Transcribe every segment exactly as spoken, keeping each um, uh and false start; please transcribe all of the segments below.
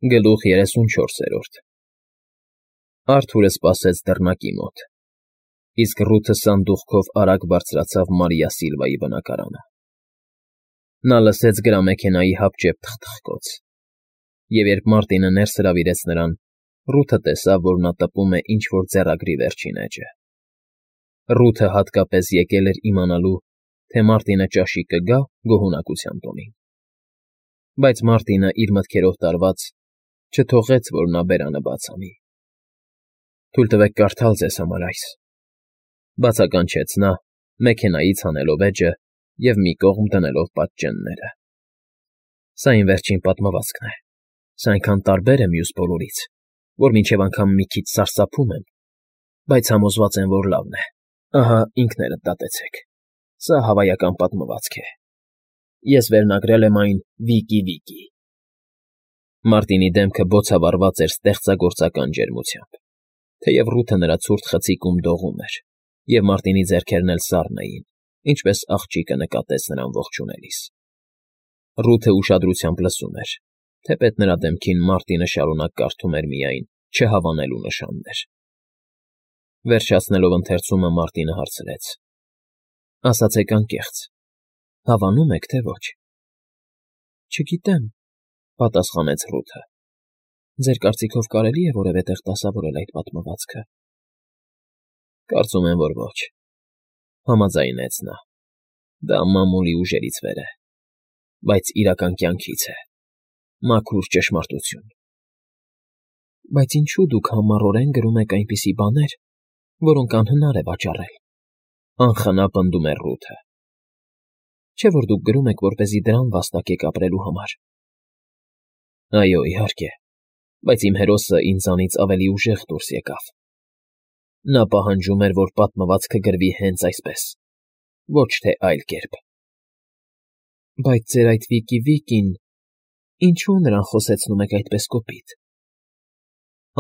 Գլուխ երեսունչորսերորդ Արթուրը սպասեց դռնակի մոտ, իսկ Ռութը սանդուղքով արագ բարձրացավ Մարիա Սիլվայի բնակարանը. նա լսեց գրամեքենայի հապճեպ թխթխկոց, և երբ Մարտինը ներս հրավիրեց նրան, Ռութը տեսավ, որ նա տպում է ինչ֊որ ձեռագրի վերջին էջը. Ռութը հատկապես եկել էր իմանալու, թե Մարտինը ճաշի կգա՞ գոհունակության տոնին, բայց Մարտինը, իր մտքերով տարված, չթողեց, որ նա բերանը բաց անի։ ֊ Թույլ տվեք կարդալ ձեզ համար այս,֊ բացականչեց նա, մեքենայից հանելով էջը և մի կողմ դնելով պատճենները։ Սա իմ վերջին պատմվածքն է, սա այնքան տարբեր է մյուս բոլորից, որ մինչև անգամ մի քիչ սարսափում եմ, բայց համոզված եմ, որ լավն է, ահա ինքներդ դատեցեք, սա հավայական պատմվածք է, ես վերնագրել եմ այն Վիկի֊Վիկի… Մարտինի դեմքը բոցավառված էր ստեղծագործական ջերմությամբ, թեև Ռութը նրա ցուրտ խցիկում դողում էր, և Մարտինի ձեռքերն էլ սառն էին, ինչպես աղջիկը նկատեց նրան ողջունելիս։ Ռութը ուշադրությամբ լսում էր, թեպետ նրա դեմքին Մարտինը շարունակ կարդում էր միայն չհավանելու նշաններ։ Վերջացնելով ընթերցումը՝ Մարտինը հարցրեց. ֊ Ասացեք անկեղծ, հավանո՞ւմ եք, թե ոչ։ ֊ Չգիտեմ,֊ պատասխանեց Ռութը։ ֊ Ձեր կարծիքով կարելի՞ է որևէ տեղ դասավորել այդ պատմվածքը։ ֊ Կարծում եմ, որ ոչ,֊ համաձայնեց նա։ ֊ Դա մամուլի ուժերից վեր է, բայց իրական կյանքից է, մաքուր ճշմարտություն։ ֊ Բայց ինչո՞ւ դուք համառորեն գրում եք այնպիսի բաներ, որոնք անհնար է վաճառել,֊ անխնա պնդում էր Ռութը։ ֊ Չէ՞ որ դուք գրում եք, որպեսզի դրամ վաստակեք ապրելու համար։ ֊ Այո, իհարկե, բայց իմ հերոսը ինձանից ավելի ուժեղ դուրս եկավ. նա պահանջում էր, որ պատմվածքը գրվի հենց այսպես, ոչ թե այլ կերպ։ ֊ Բայց ձեր այդ Վիկի֊Վիկին… ինչո՞ւ նրան խոսեցնում եք այդպես կոպիտ։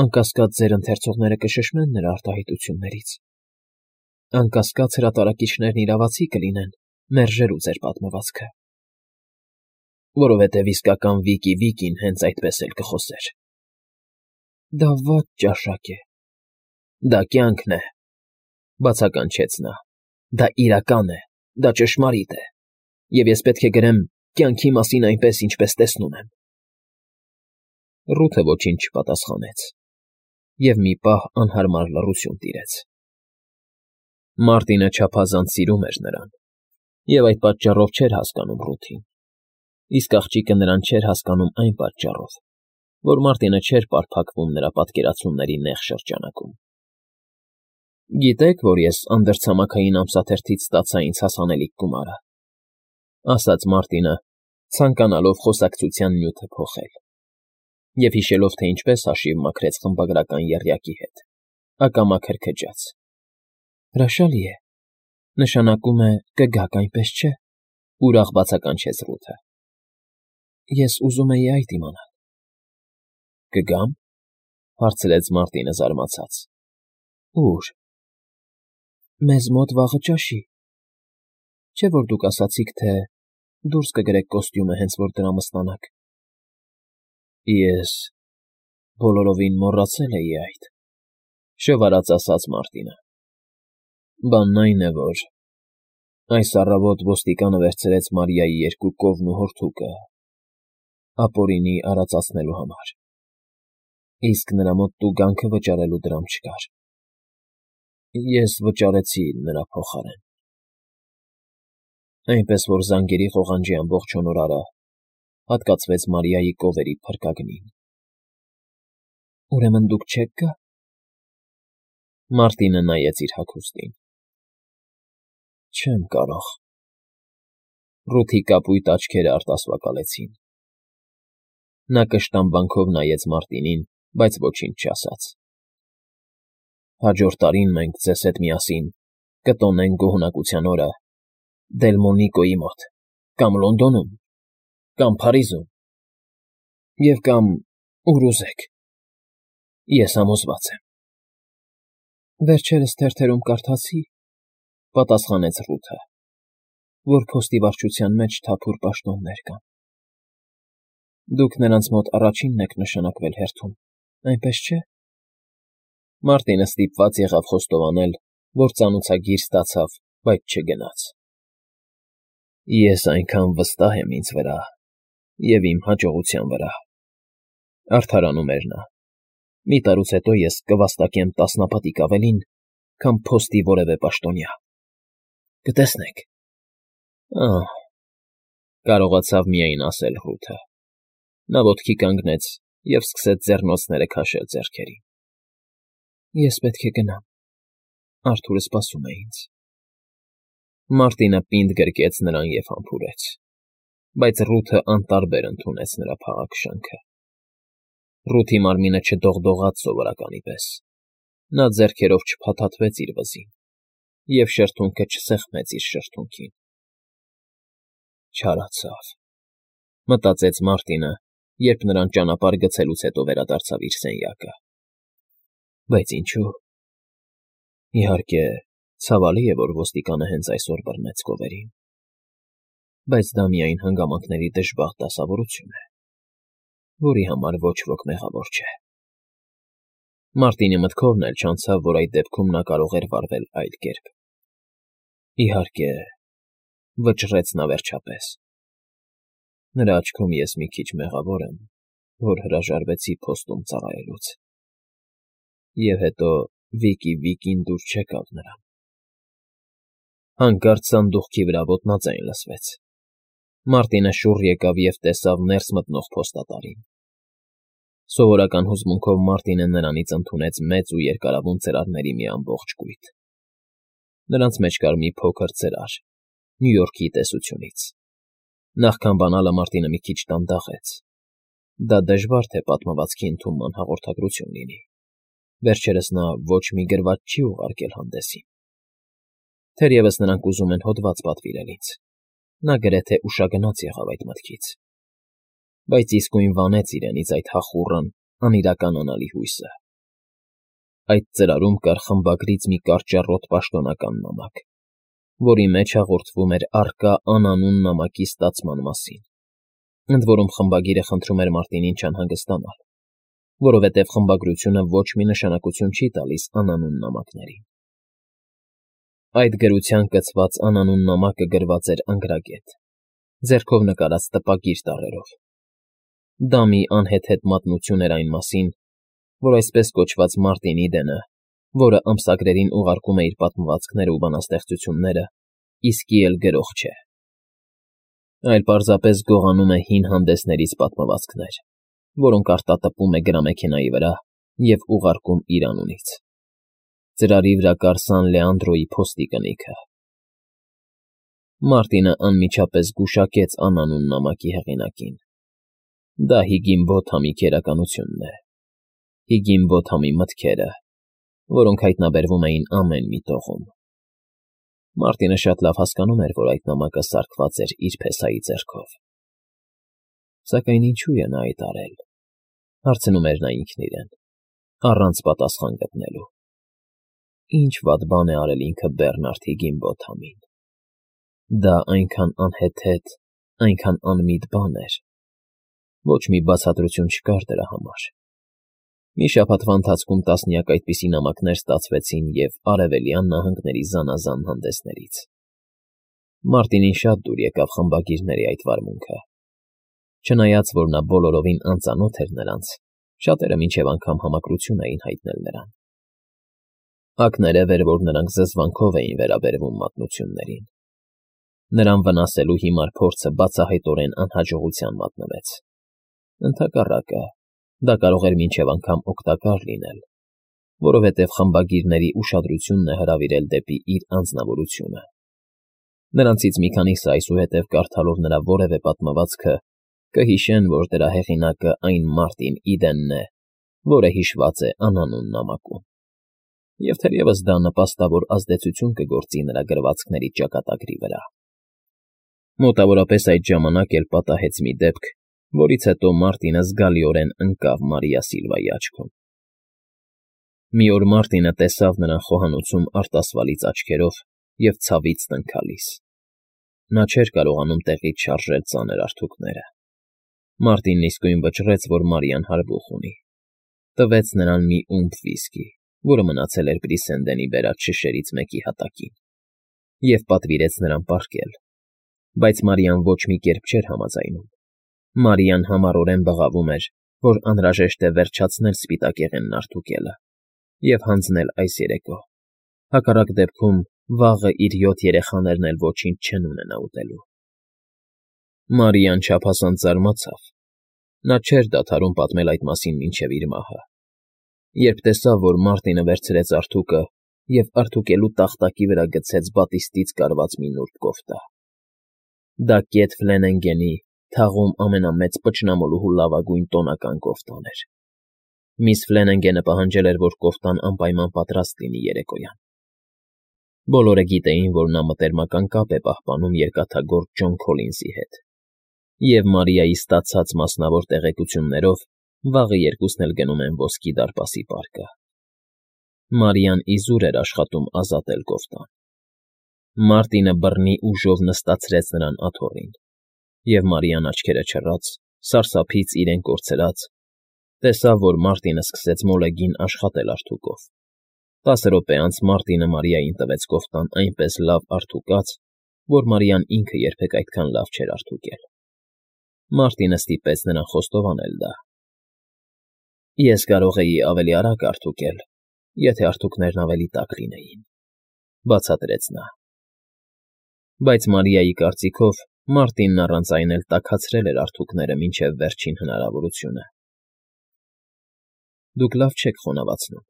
Անկասկած, ձեր ընթերցողները կշշնեն նրա արտահայտություններից, անկասկած, հրատարակիչներն իրավացի կլինեն մերժելու ձեր պատմվածքը։ ֊ Որովհետև իսկական Վիկի֊Վիկին հենց այդպես էլ կխոսեր։ ֊ Դա վատ ճաշակ է։ ֊ Դա կյանքն է,֊ բացականչեց նա,֊ դա իրական է, դա ճշմարիտ է, և ես պետք է գրեմ կյանքի մասին այնպես, ինչպես տեսնում եմ։ Ռութը ոչինչ չպատասխանեց, և մի պահ անհարմար լռություն տիրեց։ Մարտինը չափազանց սիրում էր նրան, և այդ պատճառով չէր հասկանում Ռութին, իսկ աղջիկը նրան չէր հասկանում այն պատճառով, որ Մարտինը չէր պարփակվում նրա պատկերացումների նեղ շրջանակում։ ֊ Գիտեք, որ ես անդրցամաքային ամսաթերթից ստացա ինձ հասանելիք գումարը,֊ ասաց Մարտինը, ցանկանալով խոսակցության նյութը փոխել, և հիշելով, թե ինչպես հաշիվ մքրեց խմբագրական եռյակի հետ, ակամա քրքջաց։ ֊ Հրաշալի է, նշանակում է կգաք, այնպես չէ՞, ուրախ բացականչեց Ռութը։ ֊ Ես ուզում էի այդ իմանալ։ ֊ Կգա՞մ,֊ հարցրեց Մարտինը զարմացած։ ֊ Ո՞ւր։ ֊ Մեզ մոտ վաղը ճաշի։ Չէ՞ որ դուք ասացիք, թե դուրս կգրեք կոստյումը, հենց որ դրամը ստանաք։ ֊ Ես բոլորովին մոռացել էի այդ,֊ շվարած ասաց Մարտինը։ ֊ Բանն այն է, որ այս առավոտ ոստիկանը վերցրեց Մարիայի երկու կովն ու հորթուկը ապօրինի արածացնելու համար, իսկ նրա մոտ տուգանքը վճարելու դրամ չկար։ Ես վճարեցի նրա փոխարեն, այնպես որ զանգերի ղողանջի ամբողջ հոնորարը հատկացվեց Մարիայի կովերի փրկագնին։ ֊ Ուրեմն դուք չեք գա… Մարտինը նայեց իր հագուստին։ ֊ Չեմ կարող… Ռութի կապույտ աչքերը արտասվակալեցին։ Նա կշտամբանքով նայեց Մարտինին, բայց ոչինչ չասաց։ ֊ Հաջորդ տարին մենք ձեզ հետ միասին կտոնենք գոհունակության օրը Դելմոնիկոյի մոտ, կամ Լոնդոնում, կամ Փարիզում, և կամ ուր ուզեք, ես համոզված եմ։ ֊ Վերջերս թերթերում կարդացի,֊ պատասխանեց Ռութը,֊ որ փոստի վարչության մեջ թափուր պաշտոններ կան։ Դուք նրանց մոտ առաջինն եք նշանակվել հերթում, այնպես չէ՞։ Մարտինը ստիպված եղավ խոստովանել, որ ծանոցագիր ստացավ, բայց չգնաց։ Ես այնքան վստահ եմ ինձ վրա և իմ հաջողության վրա, արդարանում էր նա։ Մի տարուց հետո ես կվաստակեմ տասնապատիկ ավելին, քան փոստի որևէ պաշտոնյա։ Կտեսնեք։ Ահ, կարողացավ միայն ասել Ռութը։ Նա ոտքի կանգնեց և սկսեց ձեռնոցները քաշել ձեռքերին։ Ես պետք է գնամ, Արթուրը սպասում է ինձ։ Մարտինը պինդ գրկեց նրան և համբուրեց, բայց Ռութը անտարբեր ընդունեց նրա փաղաքշանքը։ Ռութի մարմինը չդողդողաց սովորականի պես, նա ձեռքերով չփաթաթվեց իր վզին և շրթունքը չսեղմեց իր շրթունքին։ Չարացավ, մտածեց Մարտինը, երբ նրան ճանապարհ գցելուց հետո վերադարձավ իր սենյակը։ Բայց ինչու՞։ Իհարկե, ցավալի է, որ ոստիկանը հենց այսօր բռնեց գովերին, բայց դա միայն հանգամանքների դժբախտ դասավորություն է, որի համար ոչ ոք մեղավոր չէ։ Մարտինի մտքովն էլ չանցավ, որ այդ դեպքում նա կարող էր վարվել այլ կերպ։ Իհարկե, վճռեց նա վերջապես։ Նրա աչքում ես մի քիչ մեղավոր եմ, որ հրաժարվեցի փոստում ծառայելուց։ Եվ հետո Վիկի Վիկին դուր չեկավ նրան։ Հանկարծ սանդուղքի վրա ոտնաձայն լսվեց։ Մարտինը շուռ եկավ և տեսավ ներս մտնող փոստատարին։ Սովորական հուզմունքով Մարտինը նրանից ընդունեց մեծ ու երկարավուն ծրարների մի ամբողջ կույտ։ Նրանց մեջ կար մի փոքր ծրար Նյու Յորքի տեսությունից։ Նախքան բանալը Մարտինը մի քիչ դանդաղեց։ Դա դժվար թե պատմվածքի ընդունման հաղորդագրություն լինի։ Վերջերս նա ոչ մի գրված չի ուղարկել հանդեսին։ Թերևս նրանք ուզում են հոդված պատվիրել ինձ։ Նա գրեթե ուշագնաց եղավ այդ մտքից։ Բայց իսկույն վանեց իրենից այդ հախուռն, անիրականանալի հույսը։ Այդ ծրարում կար խմբագրից մի կարճառոտ պաշտոնական նամակ, որի մեջ հաղորդվում էր առկա անանուն նամակի ստացման մասին, ընդ որում խմբագիրը խնդրում էր Մարտինին չանհանգստանալ, որովհետև խմբագրությունը ոչ մի նշանակություն չի տալիս անանուն նամակներին։ Այդ գրության կցված անանուն նամակը գրված էր անգրագետ, ձեռքով նկարած տպագիր տառերով։ Դա մի անհեթեթ մատնություն էր այն մասին, որ այսպես կոչված Մարտին Իդենը, որը ամսագրերին ուղարկում է իր պատմվածքները ու բանաստեղծությունները, իսկի էլ գրող չէ, այլ պարզապես գողանում է հին հանդեսներից պատմվածքներ, որոնք արտատպում է գրամեքենայի վրա և ուղարկում իր անունից։ Ծրարի վրա կար Սան Լեանդրոյի փոստի կնիքը։ Մարտինը անմիջապես գուշակեց անանուն նամակի հեղինակին։ Դա Հիգինբոթամի քերականությունն է, Հիգինբոթամի մտքերը, որոնք հայտնաբերվում էին ամեն մի տողում։ Մարտինը շատ լավ հասկանում էր, որ այդ նամակը սարքված էր իր փեսայի ձեռքով։ Սակայն ինչու է նա այդ արել, հարցնում էր նա ինքն իրեն, առանց պատասխան գտնելու։ Ինչ վատ բան է արել ինքը Բեռնարդ Հիգինբոթամին։ Դա այնքան անհեթեթ, այնքան անմիտ բան էր։ Ոչ մի բացատրություն չկար դրա համար։ Մի շաբաթվա ընթացքում տասնյակ այդպիսի նամակներ ստացվեցին և Արևելյան նահանգների զանազան հանդեսներից։ Մարտինին շատ դուր եկավ խմբագիրների այդ վարմունքը։ Չնայած, որ նա բոլորովին անծանոթ էր նրանց, շատերը մինչև անգամ համակրություն էին հայտնել նրան։ Ակներև էր, որ նրանք զզվանքով էին վերաբերվում մատնություններին։ Նրան վնասելու հիմար փորձը բացահայտորեն անհաջողության մատնվեց։ Ընդհակառակը, դա կարող էր մինչև անգամ օգտակար լինել, որովհետև խմբագիրների ուշադրությունն է հրավիրել դեպի իր անձնավորությունը։ Նրանցից մի քանիսը այսուհետև կարդալով նրա որևէ պատմվածքը կհիշեն, որ դրա հեղինակը այն Մարտին Իդենն է, որը հիշված է անանուն նամակում։ Եվ թերևս դա նպաստավոր ազդեցություն կգործի նրա գրվածքների ճակատագրի վրա։ Մոտավորապես այդ ժամանակ էլ պատահեց մի դեպք, որից հետո Մարտինը զգալիորեն ընկավ Մարիա Սիլվայի աչքում։ Մի օր Մարտինը տեսավ նրան խոհանոցում արտասվալից աչքերով և ցավից տնքալիս։ Նա չէր կարողանում տեղից շարժել ծանր արթուկները։ Մարտինն իսկույն վճռեց, որ Մարիան հարբուխ ունի, տվեց նրան մի ումպ վիսկի, որը մնացել էր Բրիսենդենի բերած շշերից մեկի հատակին, և պատվիրեց նրան պառկել, բայց Մարիան ոչ մի կերպ չէր համաձայնում. Մարիան համառորեն բղավում էր, որ անհրաժեշտ է վերջացնել սպիտակեղենն արտուկելը և հանձնել այս երեկո, հակառակ դեպքում վաղը իր յոթ երեխաներն էլ ոչինչ չեն ունենա ուտելու։ Մարիան չափազանց զարմացավ. նա չէր դադարում պատմել այդ մասին մինչև իր մահը, երբ տեսավ, որ Մարտինը վերցրեց արթուկը և արթուկելու տախտակի վրա գցեց բատիստից կարված մի նուրբ կոֆտա։ Դա կետ Ֆլենենգենի թաղում ամենամեծ պճնամոլուհու լավագույն տոնական կոֆտան էր։ Միս Ֆլենենգենը պահանջել էր, որ կոֆտան անպայման պատրաստ լինի երեկոյան։ Բոլորը գիտեին, որ նա մտերմական կապ է պահպանում երկաթագործ Ջոն Քոլինզի հետ, և Մարիայի ստացած մասնավոր տեղեկություններով վաղը երկուսն էլ գնում են ոսկի դարպասի պարկը։ Մարիան իզուր էր աշխատում ազատել կոֆտան։ Մարտինը բռնի ուժով նստացրեց նրան աթոռին, և Մարիան աչքերը չռած, սարսափից իրեն կորցրած, տեսավ, որ Մարտինը սկսեց մոլեգին աշխատել արթուկով։ Տասը րոպե անց Մարտինը Մարիային տվեց կոֆտան այնպես լավ արթուկած, որ Մարիան ինքը երբեք այդքան լավ չէր արթուկել։ Մարտինը ստիպեց նրան խոստովանել դա։ Ես կարող էի ավելի արագ արթուկել, եթե արթուկներն ավելի տաք լինեին, բացատրեց նա։ Բայց Մարիայի կարծիքով Մարտինն առանց այն էլ տաքացրել էր արթուկները մինչև վերջին հնարավորությունը։ Դուք լավ չեք խոնավացնում,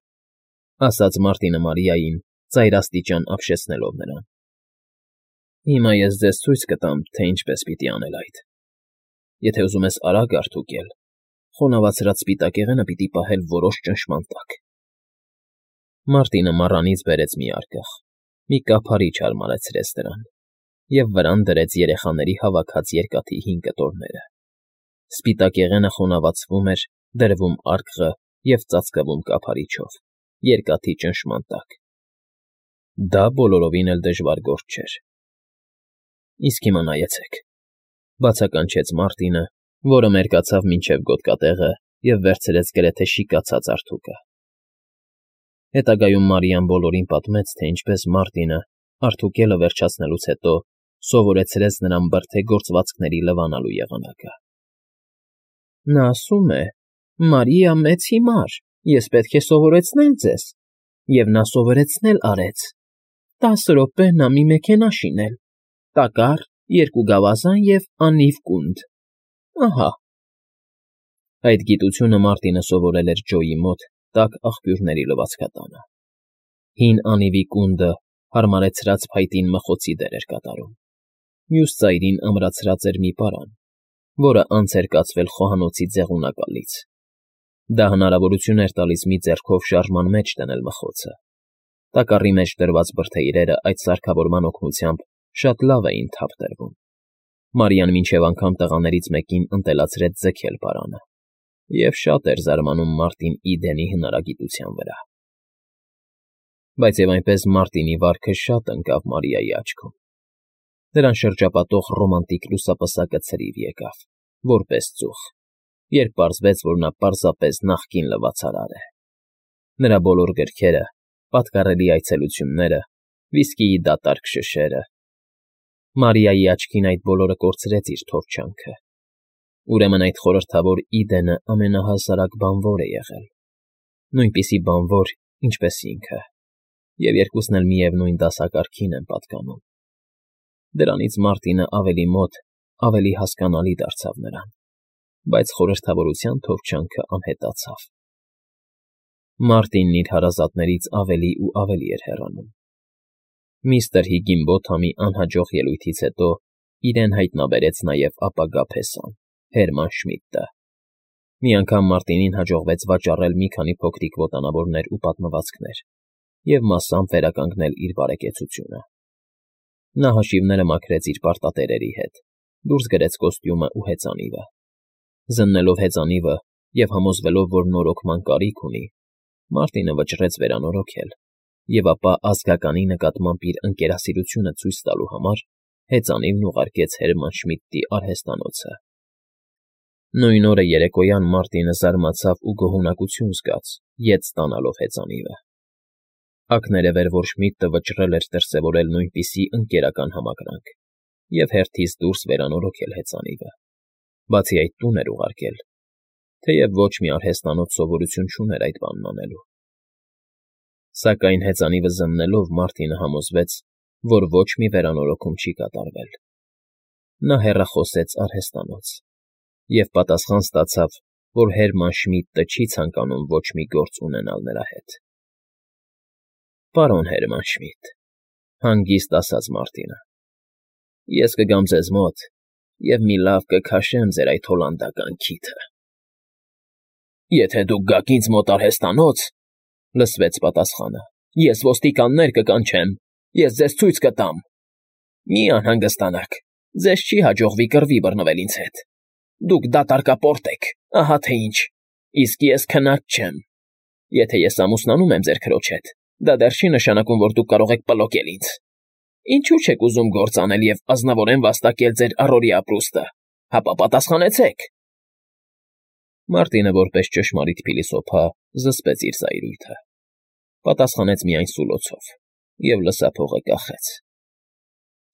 ասաց Մարտինը Մարիային, ծայրաստիճան ապշեցնելով նրան։ Հիմա ես ձեզ ցույց կտամ, թե ինչպես պիտի անել այդ։ Եթե ուզում ես արագ արթուկել, խոնավացրած սպիտակեղենը պիտի պահել որոշ ճնշման տակ։ Մարտինը մառանից բերեց մի արկղ, մի կափարիչ հարմարեցրեց դրան և վրան դրեց երեխաների հավաքած երկաթի հին կտորները։ Սպիտակեղենը խոնավացվում էր, դրվում արկղը և ծածկվում կափարիչով, երկաթի ճնշման տակ։ Դա բոլորովին էլ դժվար գործ չէր։ Իսկ հիմա նայեցեք, բացականչեց Մարտինը, որը մերկացավ մինչև գոտկատեղը և վերցրեց գրեթե շիկացած արթուկը։ Հետագայում Մարիան բոլորին պատմեց, թե ինչպես Մարտինը, արթուկելը վերջացնելուց հետո, սովորեցրեց նրան բրդե֊գործվածքների լվանալու եղանակը։ Նա ասում է. «Մարիա, մեծ հիմար, ես պետք է սովորեցնել ձեզ», և նա սովորեցնել արեց։ Տասը րոպե նա մի մեքենա շինել, տակառ, երկու գավազան և անիվ կունդ։ Ահա։ Այդ գիտությունը Մարտինը սովորել էր Ջոյի մոտ տաք աղբյուրների լվացկատանը։ Հին անիվի կունդը հարմարեցրած փայտին մխոցի դեր էր կատարում։ Մյուս ծայրին ամրացրած էր մի պարան, որը անց էր կացվել խոհանոցի ձեղունակալից։ Դա հնարավորություն էր տալիս մի ձեռքով շարժման մեջ դնել մխոցը։ Տակառի մեջ դրված բրդեիրերը այդ սարքավորման օգնությամբ շատ լավ էին թափ տրվում։ Մարիան մինչև անգամ տղաներից մեկին ընտելացրեց ձգել պարանը, և շատ էր զարմանում Մարտին Իդենի հնարագիտության վրա։ Բայց և այնպես Մարտինի վարքը շատ ընկավ Մարիայի աչքում։ Նրան շրջապատող ռոմանտիկ լուսապսակը ցրիվ եկավ, որպես ծուխ, երբ պարզվեց, որ նա պարզապես նախկին լվացարար է։ Նրա բոլոր գրքերը, պատկառելի այցելությունները, վիսկիի դատարկ շշերը… Մարիայի աչքին այդ բոլորը կորցրեց իր թորչանքը։ Ուրեմն այդ խորհրդավոր Իդենը ամենահասարակ բանվոր է եղել, նույնպիսի բանվոր, ինչպես ինքը, և երկուսն էլ միևնույն դասակարգին են պատկանում։ Դրանից Մարտինը ավելի մոտ, ավելի հասկանալի դարձավ նրան, բայց խորհրդավորության թովչանքը անհետացավ։ Մարտինն իր հարազատներից ավելի ու ավելի էր հեռանում։ Միստր Հիգինբոթամի անհաջող ելույթից հետո իրեն հայտնաբերեց նաև ապագա փեսան՝ Հերման Շմիդտը։ Մի անգամ Մարտինին հաջողվեց վաճառել մի քանի փոքրիկ ոտանավորներ ու պատմվածքներ և մասամբ վերականգնել իր բարեկեցությունը։ Նա հաշիվները մաքրեց իր պարտատերերի հետ, դուրս գրեց կոստյումը ու հեծանիվը։ Զննելով հեծանիվը և համոզվելով, որ նորոգման կարիք ունի, Մարտինը վճռեց վերանորոգել և ապա ազգականի նկատմամբ իր ընկերասիրությունը ցույց տալու համար հեծանիվն ուղարկեց Հերման Շմիդտի արհեստանոցը։ Նույն օրը երեկոյան Մարտինը զարմացավ ու գոհունակություն զգաց, ետ ստանալով հեծանիվը. ակներև էր, որ Շմիդտը վճռել էր դրսևորել նույնպիսի ընկերական համակրանք և հերթից դուրս վերանորոգել հեծանիվը, բացի այդ տուն էր ուղարկել, թեև ոչ մի արհեստանոց սովորություն չուներ այդ բանն անելու։ Սակայն հեծանիվը զննելով Մարտինը համոզվեց, որ ոչ մի վերանորոգում չի կատարվել։ Նա հեռախոսեց արհեստանոց և պատասխան ստացավ, որ Հերման Շմիդտը չի ցանկանում ոչ մի գործ ունենալ նրա հետ։ Պարոն Հերման Շմիդ,֊ հանգիստ ասաց Մարտինը,֊ ես կգամ ձեզ մոտ և մի լավ կքաշեմ ձեր այդ հոլանդական քիթը։ Եթե դուք գաք ինձ մոտ արհեստանոց,֊ լսվեց պատասխանը,֊ ես ոստիկաններ կկանչեմ, ես ձեզ ցույց կտամ։ Մի անհանգստանաք, ձեզ չի հաջողվի կռվի բռնվել ինձ հետ։ Դուք դատարկապորտ եք, ահա թե ինչ, իսկ ես քնած չեմ։ Եթե ես ամուսնանում եմ ձեր քրոջ հետ, դա դեռ չի նշանակում, որ դուք կարող եք պլոկել ինձ։ Ինչու՞ չեք ուզում գործ անել և ազնվորեն վաստակել ձեր առօրյա ապրուստը, հապա պատասխանեցեք։ Մարտինը որպես ճշմարիտ փիլիսոփա զսպեց իր զայրույթը, պատասխանեց միայն սուլոցով և լսափողը կախեց։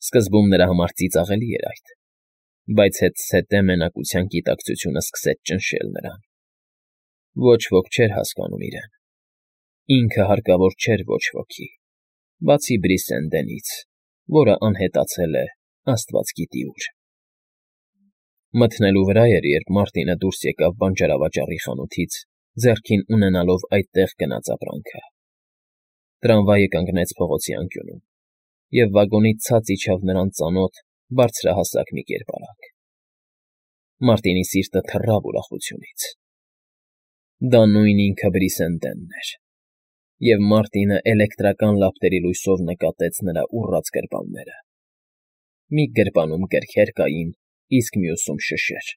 Սկզբում նրա համար ծիծաղելի էր այդ, բայց հետզհետե մենակության գիտակցությունը սկսեց ճնշել նրան։ Ոչ ոք չէր հասկանում իրեն, ինքը հարկավոր չէր ոչ ոքի, բացի Բրիսենդենից, որը անհետացել է աստված գիտի ուր։ Մթնելու վրա էր, երբ Մարտինը դուրս եկավ բանջարավաճառի խանութից, ձեռքին ունենալով այդտեղ գնած ապրանքը։ Տրամվայը կանգնեց փողոցի անկյունում, և վագոնից ցած իջավ նրան ծանոթ բարձրահասակ մի կերպարանք։ Մարտինի սիրտը թռավ ուրախությունից։ Դա նույն ինքը Բրիսենդենն էր, և Մարտինը էլեկտրական լապտերի լույսով նկատեց նրա ուռած գրպանները։ Մի գրպանում գրքեր կային, իսկ մյուսում՝ շշեր։